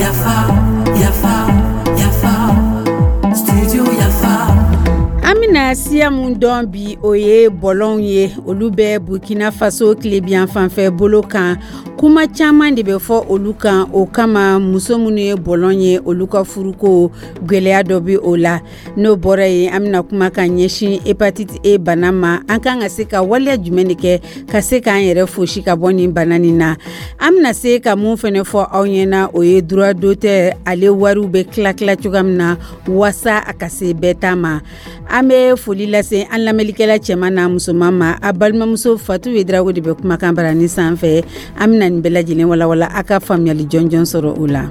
Yafa, yafa, yafa, studio Yafa. An bɛna siya mun dɔn bi, o ye bɔlɔnw ye. Olu bɛ Burkina Faso tilebiyan fanfɛ bolo kan. Kuma caman de bɛ fɔ olu kan. O kama, muso minnu ye bɔlɔn ye, olu ka furuko gwɛlɛya dɔ bɛ o la. N'o bɔra yen, an bɛna kuma ka ɲɛsin hépatite E bana ma. An kan ka se ka waleya jumɛn de kɛ ka se k'an yɛrɛ fosi ka bɔ nin bana nin na? An bɛna se ka mun fɛnɛ fɔ aw ɲɛna, o ye droit d'auteur, ale wariw bɛ tila tila cogoya min na waasa a ka se bɛɛ ta ma. An bɛ foli lase an lamɛnlikɛla cɛman n'a musoman ma. A balimamuso Fatu Wedrago de bɛ kumakan barani sanfɛ. An bɛna nin bɛɛ lajɛlen walawala, a ka faamuyali jɔnjɔn sɔrɔ o la.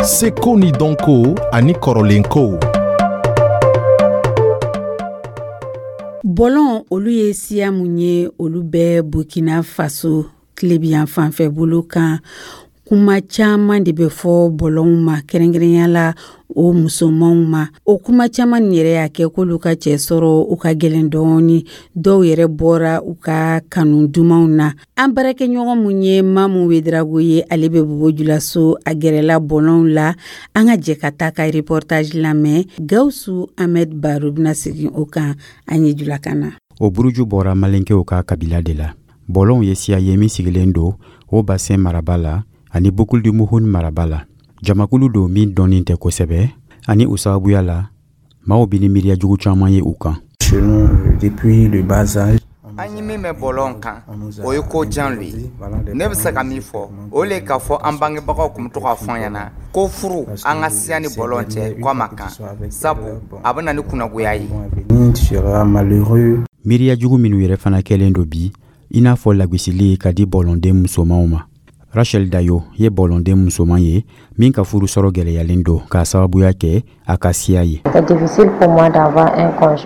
Seko ni dɔnko ani kɔrɔlenkow. Bɔlɔn, olu ye siya mun ye? Olu bɛ Burkina Faso tilebiyan fanfɛ bolo kan. Kuma caman de bɛ fɔ bɔlɔnw ma, kɛrɛnkɛrɛnya la o musomanw ma. O kuma caman nin yɛrɛ y'a kɛ k'olu ka cɛ sɔrɔ u ka gɛlɛn dɔɔni. Dɔw yɛrɛ bɔra u ka kanu dumanw na. An baarakɛɲɔgɔn mun ye Mamu Wedrago ye, ale bɛ Bobo Julaso, a gɛrɛla bɔlɔnw la. An ka jɛ ka taa ka reportage lamɛn. Gawusu Ahmed Baro bɛna segin o kan an ye julakan na. O buruju bɔra malenkew ka kabila de la. Bɔlɔnw ye siya ye min sigilen don Haut Bassin maraba la ani Boucle du Mouhoun maraba la. Jamakulu don min dɔnnen tɛ kosɛbɛ, ani o sababuya la maaw bɛ ni miiriya jugu caman ye u kan. Chez nous, depuis le bas âge, An ye min mɛn bɔlɔn kan, o ye ko jan lo ye. Ne bɛ se ka min fɔ, o le k'a fɔ an bangebagaw tun bɛ to k'a fɔ an ɲɛna ko furu an ka siya ni bɔlɔn cɛ, ko a ma kan, sabu a bɛ na ni kunnagoya ye. Tu seras malheureux. Miiriya jugu minnu yɛrɛ fana kɛlen don bi, i n'a fɔ lagosili ka di bɔlɔnden musomanw ma. Rachel Dayo ye bɔlɔnden musoman ye min ka furu sɔrɔ gɛlɛyalen don k'a sababuya kɛ a ka siya ye.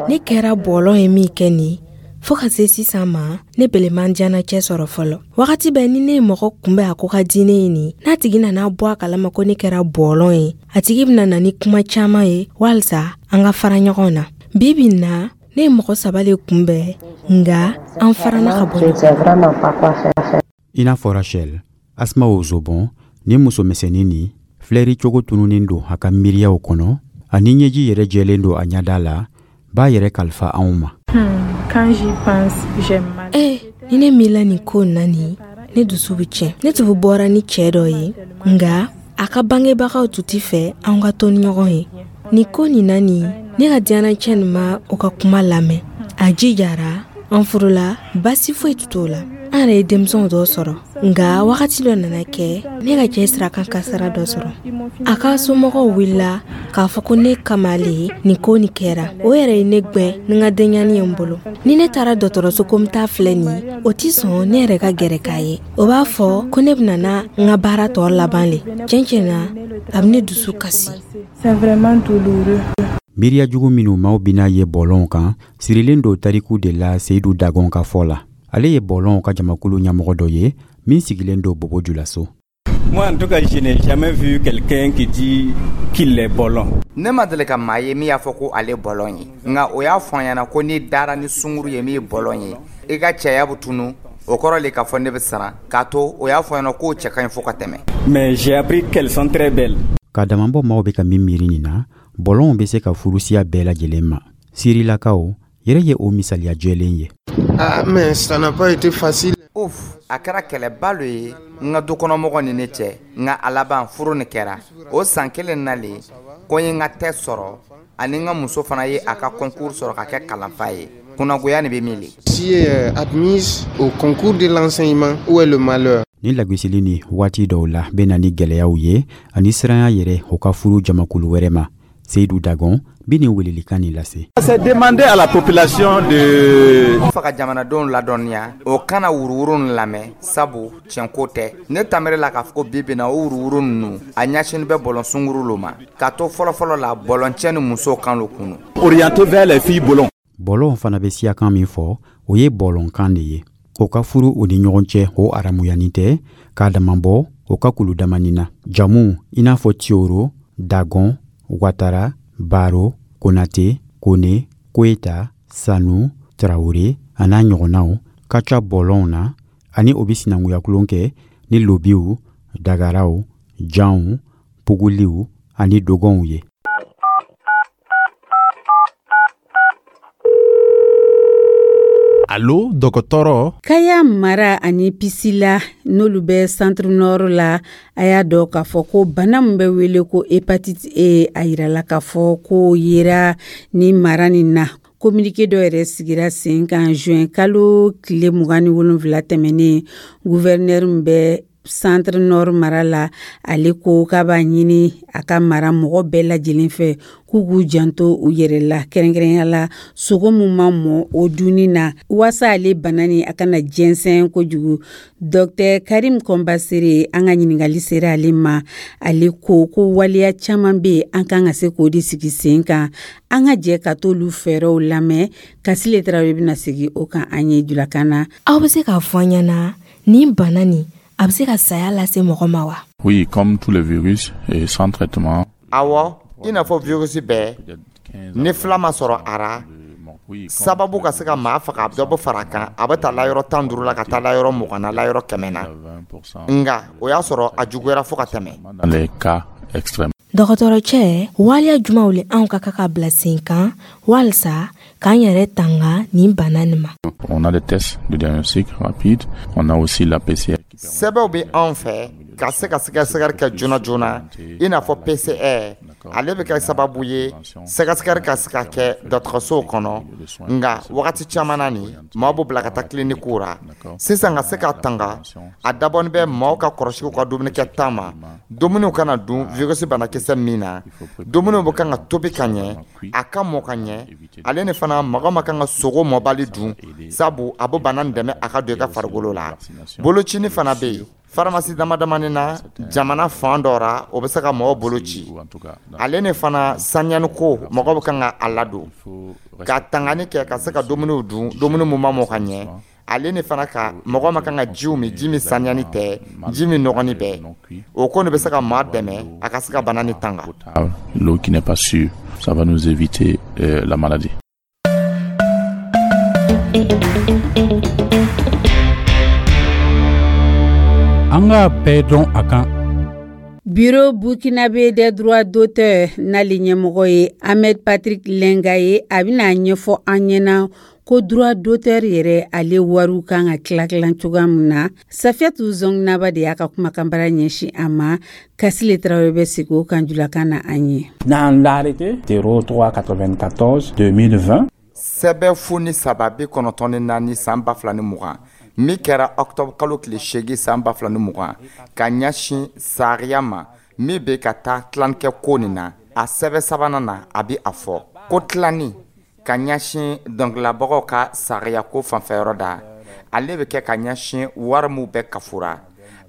Ne kɛra bɔlɔn ye min kɛ nin, fɔɔ ka se sisan ma, ne beleman diyana cɛ sɔrɔ fɔlɔ. Wagati bɛɛ ni ne ye mɔgɔ kunbɛn a ko ka di ne ye nin, n'a tigi nana bɔ a kalama ko ne kɛra bɔlɔn ye, a tigi bɛna na ni kuma caaman ye walisa an ka fara ɲɔgɔn na. Bi bi na, ne ye mɔgɔ saba le kunbɛn, nga an farana ka bɔ ɲɔgɔn. I n'a fɔ Rachel, Asma Ozobon ni musomisɛnnin nin filɛri cogo tununnen don a ka miiriyaw kɔnɔ, ani ɲɛji yɛrɛ jɛlen don a ɲɛda la, b'a yɛrɛ kalifa anw ma. Eh, ni ne miirila nin ko na nin, ne dusu bɛ tiɲɛ. Ne tun bɔra ni cɛɛ dɔ ye, nga a ka bangebagaw tun tɛ fɛ an ka to ni ɲɔgɔn ye. Nin ko nin na nin, ne ka diyanacɛ nin ma o ka kuma lamɛn. A jijara, an furula, basi foyi tun t'o la. An yɛrɛ ye denmisɛnw dɔw sɔrɔ, nga wagati dɔ nana kɛ, ne ka cɛ sirakan kasara dɔ sɔrɔ. A ka somɔgɔw wulila k'a fɔ ko ne kama le nin ko nin kɛra. O yɛrɛ ye ne gwɛn ni n ka denɲani ye n bolo. Ni ne taara dɔgɔtɔrɔso ko n t'a filɛ nin, o ti sɔn ne yɛrɛ ka gɛrɛ k'a ye. O b'a fɔ ko ne bɛna na n ka baara tɔ laban le. Tiɲɛ tiɲɛ na, a bɛ ne dusu kasi. Miiriya jugu minnu maaw bɛna ye bɔlɔnw kan sirilen don tariku de la. Seyidu Dagɔn ka fɔ la, ale ye bɔlɔnw ka jamakulu ɲɛmɔgɔ dɔ ye min sigilen don Bobo Julaso. Moi, en tout cas, je n'ai jamais vu quelqu'un qui dit qu'il est bolon. Ne ma deli ka maa ye min y'a fɔ ko ale bɔlɔn ye, nka o y'a fɔ an ɲɛna ko n'i dara ni sunguru ye min ye bɔlɔn ye, i ka cɛya bɛ tunu. O kɔrɔ le k'a fɔ ne bɛ siran k'a to. O y'a fɔ an ɲɛna k'o cɛ ka ɲi fo ka tɛmɛ. Mais j'ai appris qu'elles sont très belles. Ka damabɔ maaw bɛ ka min miiri nin na, bɔlɔnw bɛ se ka furu siya bɛɛ lajɛlen ma. Sirilakaw yɛrɛ ye o misaliya jɛlen ye. Ah, mais ça n'a pas été facile. Uf, a kɛra kɛlɛba lo ye n ka dukɔnɔmɔgɔ ni ne cɛ, nka a laban furu nin kɛra. O san kelen na le ko n ye n ka tɛ sɔrɔ, ani n ka muso fana ye a ka concours sɔrɔ ka kɛ kalanfa ye. Kunnagoya nin bɛ min le? Si est admise au concours de l'enseignement, où est le malheur? Ni lagosili ni waati dɔw la bɛ na ni gwɛlɛyaw ye ani siranya yɛrɛ o ka furu jamakulu wɛrɛ ma. Seyidu Dagɔn bi nin welelikan nin lase. C'est demander à la population de N fa ka jamanadenw ladɔnniya, o kana wuruwuru nin lamɛn, sabu tiɲɛko tɛ. Ne tamere la k'a fɔ ko bi bi na, o wuruwuru ninnu a ɲɛsinin bɛ bɔlɔn sunguru lo ma, k'a to fɔlɔfɔlɔ la, bɔlɔncɛ ni musow kan lo kunu. Orienter vers les filles bolons. Bɔlɔnw fana bɛ siyakan min fɔ, o ye bɔlɔnkan de ye. O ka furu u ni ɲɔgɔn cɛ, o haramuyanin tɛ k'a damabɔ o ka kulu damani na. Jamu i n'a fɔ Tiyoro, Dagɔn, Watara, Baro, Konate, Kone, Koyita, Sanu, Tarawele a n'a ɲɔgɔnnaw ka ca bɔlɔnw na, ani o bɛ sinankunya kɛ ni lobiw, dagaraw, janw, puguliw ani dogɔnw ye. Alo dɔgɔtɔrɔ. Kaya mara ani Pisila, n'olu bɛ Centre Nord la, a y'a dɔn k'a fɔ ko bana min bɛ wele ko hépatite E, a yirala k'a fɔ ko yera ni mara nin na. Communiqué dɔ yɛrɛ sigira sen kan juin kalo tile 27 tɛmɛnen. Gouverneur min bɛ Centre Nord mara la, ale ko k'a b'a ɲini a ka mara mɔgɔ bɛɛ lajɛlen fɛ k'u k'u janto u yɛrɛ la, kɛrɛnkɛrɛnya la sogo min ma mɔ, o dunni na, waasa ale bana ni a kana jɛnsɛn kojugu. Dr Karim Kɔnbasere, an ka ɲininkali sera ale ma. Ale ko ko waleya caman bɛ yen, an kan ka se k'o de sigi sen kan. An ka jɛ ka t'olu fɛɛrɛw lamɛn. Kasile Tarawele bɛna segin o kan an ye julakan na. Aw bɛ se k'a fɔ an ɲɛna, nin bana nin, a bɛ se ka saya lase mɔgɔ ma wa? Oui, comme tous les virus, et sans traitement. Awɔ, i n'a fɔ virus bɛɛ, ni fila ma sɔrɔ a ra, sababu ka se ka maa faga, a bɛ dɔ bɔ fara a kan, a bɛ taa layɔrɔ 15 la ka taa layɔrɔ 20 na, layɔrɔ 100 na. Nka o y'a sɔrɔ a juguyara fo ka tɛmɛ. Dans les cas extrêmes. Dɔgɔtɔrɔcɛ, waleya jumanw le anw ka kan ka bila sen kan walisa k'an yɛrɛ tanga nin bana nin ma? On a des tests de diagnostic rapide, on a aussi la PCR. Sɛbɛnw bɛ anw fɛ ka se ka sɛgɛsɛgɛli kɛ joona joona, i n'a fɔ PCR. Ale bɛ kɛ sababu ye sɛgɛsɛgɛli ka se ka kɛ dɔgɔtɔrɔsow kɔnɔ. Nka wagati caman na nin, maaw b'u bila ka taa kilinikuw ra sisan ka se ka tanga. A dabɔnin bɛ maaw ka kɔlɔsi u ka dumunikɛta ma, dumuniw kana dun virus banakisɛ min na, dumuniw bɛ kan ka tobi ka ɲɛ, a ka mɔ ka ɲɛ. Ale ni fana, mɔgɔ ma kan ka sogo mɔbali dun, sabu a bɛ bana nin dɛmɛ a ka don i ka farikolo la. Bolocini fana bɛ yen faramasi dama damani na jamana fan dɔ ra, o bɛ se ka mɔgɔw bolo ci. Ale ni fana, saniyani ko, mɔgɔ bɛ kan ka a ladon ka tangani kɛ ka se ka dumuniw dun, dumuni mun ma mɔ ka ɲɛ. Ale ni fana, ka mɔgɔ ma kan ka jiw min, ji min saniyani tɛ, ji min nɔgɔni bɛɛ. O ko nin bɛ se ka maa dɛmɛ a ka se ka bana ni tanga. L'eau qui n'est pas sûre, ça va nous éviter la maladie. An ka bɛɛ dɔn a kan. Bureau burkinabé des droits d'auteur, n'ale ɲɛmɔgɔ ye Ahmed Patrick Lenga ye, a bɛna ɲɛfɔ an ɲɛna ko droit d'auteur yɛrɛ, ale wariw kan ka tila tilan cogoya min na. Safiyatu Zɔngnaba de y'a ka kumakanbara ɲɛsin a ma. Kasile Tarawele bɛ segin o kan julakan na an ye. Dans l'arrêté 0394 2020, Sɛbɛn 0394 san 2020, min kɛra octobre kalo tile 8 san 2020, ka ɲɛsin sariya ma min bɛ ka taa tilanikɛ ko nin na, a sɛbɛn sabanan na, a bɛ a fɔ ko tilani ka ɲɛsin dɔnkililabagaw ka sariya ko fanfɛyɔrɔ da, ale bɛ kɛ ka ɲɛsin wari min bɛ kafura,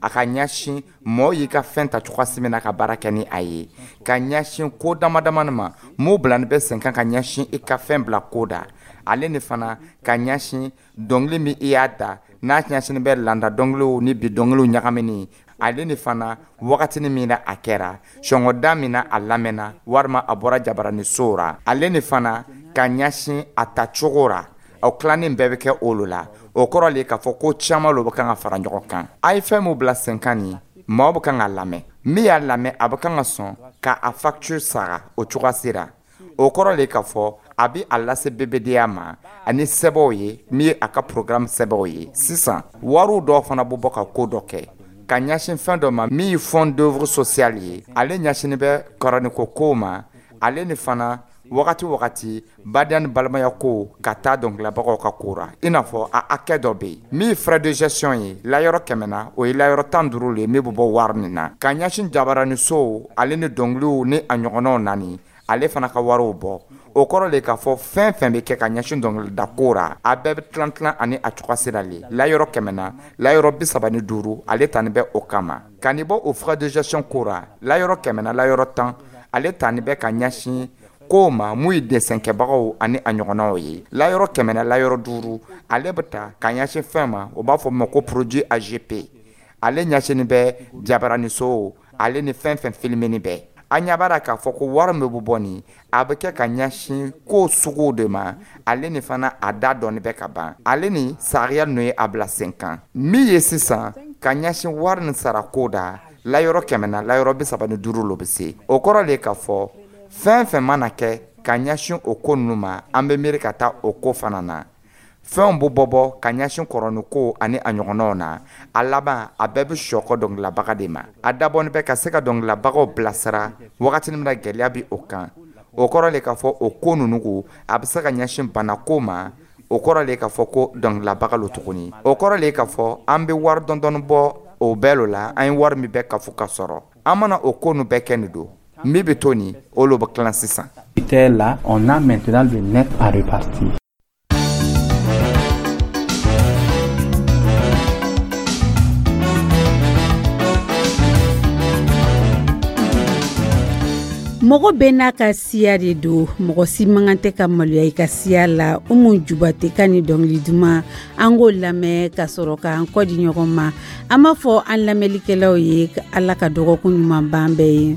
a ka ɲɛsin mɔgɔw y'i ka fɛn ta cogoya min na ka baara kɛ ni a ye, ka ɲɛsin ko dama damani ma m'o bilani bɛ sen kan ka ɲɛsin i ka fɛn bila ko da. Ale ni fana, ka ɲɛsin dɔnkili min i y'a da, n'a ɲɛsin bɛ landa dɔnkiliw ni bi dɔnkiliw ɲagamini. Ale ni fana, wagatini min na a kɛra, sɔngɔda min na a lamɛnna walima a bɔra jabaranisow ra. Ale ni fana, ka ɲɛsin a ta cogo ra. O tilanin bɛɛ bɛ kɛ olu la. O kɔrɔ le k'a fɔ ko caman lo bɛ kan ka fara ɲɔgɔn kan. A ye fɛn min bila sen kan nin, maaw bɛ kan ka lamɛn. Min y'a lamɛn, a bɛ kan ka sɔn ka a facture sara o cogoya sera. O kɔrɔ le k'a fɔ a bɛ a lase BBDA ma ani sɛbɛnw ye min ye a ka programme sɛbɛnw ye. Sisan wariw dɔw fana bɛ bɔ ka ko dɔ kɛ ka ɲɛsin fɛn dɔ ma min ye fond d'œuvre sociale ye. Ale ɲɛsinnen bɛ kɔrɔniko kow ma. Ale ni fana, wagati wagati, badenya ni balimaya ko ka taa dɔnkililabagaw ka ko ra, i n'a fɔ a hakɛ dɔ bɛ yen min ye frais de gestion ye layɔrɔ 100 na, o ye layɔrɔ 15 le ye min bɛ bɔ wari nin na ka ɲɛsin jabaranisow ale ni dɔnkiliw ni a ɲɔgɔnnaw nani, ale fana ka wariw bɔ. O kɔrɔ le k'a fɔ fɛn fɛn bɛ kɛ ka ɲɛsin dɔnkilida ko ra, a bɛɛ bɛ tilan tilan ani a cogoya sira le. Layɔrɔ 100 na, layɔrɔ 35, ale tani bɛ o kama. Ka nin bɔ o frais de gestion ko ra, layɔrɔ 100 na, layɔrɔ 10, ale tani bɛ ka ɲɛsin kow ma mun ye desɛnkɛbagaw ani a ɲɔgɔnnaw ye. Layɔrɔ 100 na, layɔrɔ 5, ale bɛ ta ka ɲɛsin fɛn ma, o b'a fɔ ma ko produit AGP. Ale ɲɛsinnin bɛ jabaranisow ale ni fɛn fɛn filimeni bɛɛ. An ɲɛ b'a la k'a fɔ ko wari min bɛ bɔ nin, a bɛ kɛ ka ɲɛsin ko suguw de ma. Ale ni fana, a da dɔɔni bɛ ka ban. Ale ni sariya ninnu ye a bila sen kan min ye sisan ka ɲɛsin wari ni sara ko da layɔrɔ 100 na, layɔrɔ 35 lo bɛ se. O kɔrɔ de k'a fɔ fɛn fɛn mana kɛ ka ɲɛsin o ko ninnu ma, an bɛ miiri ka taa o ko fana na. Fɛnw bɛ bɔ ka ɲɛsin kɔrɔniko ani a ɲɔgɔnnaw na. A laban, a bɛɛ bɛ sɔkɔ dɔnkililabaga de ma. A dabɔnin bɛ ka se ka dɔnkililabagaw bilasira wagati min na gɛlɛya bɛ o kan. O kɔrɔ de k'a fɔ o ko ninnu ko a bɛ se ka ɲɛsin banako ma. O kɔrɔ de k'a fɔ ko dɔnkililabaga lo tuguni. O kɔrɔ de k'a fɔ an bɛ wari dɔndɔɔni bɔ o bɛɛ lo la. An ye wari min bɛɛ kafo ka sɔrɔ, an mana o ko ninnu bɛɛ kɛ nin don, min bɛ to nin, o lo bɛ tilan sisan. Là, on a maintenant le net à répartir. Mɔgɔ bɛɛ n'a ka siya de don. Mɔgɔ si man kan tɛ ka maloya i ka siya la. Umu Jubate ka ni dɔnkili duman, an k'o lamɛn ka sɔrɔ k'an kɔ di ɲɔgɔn ma. An b'a fɔ an lamɛnlikɛlaw ye, Ala ka dɔgɔkun ɲuman ban bɛɛ ye.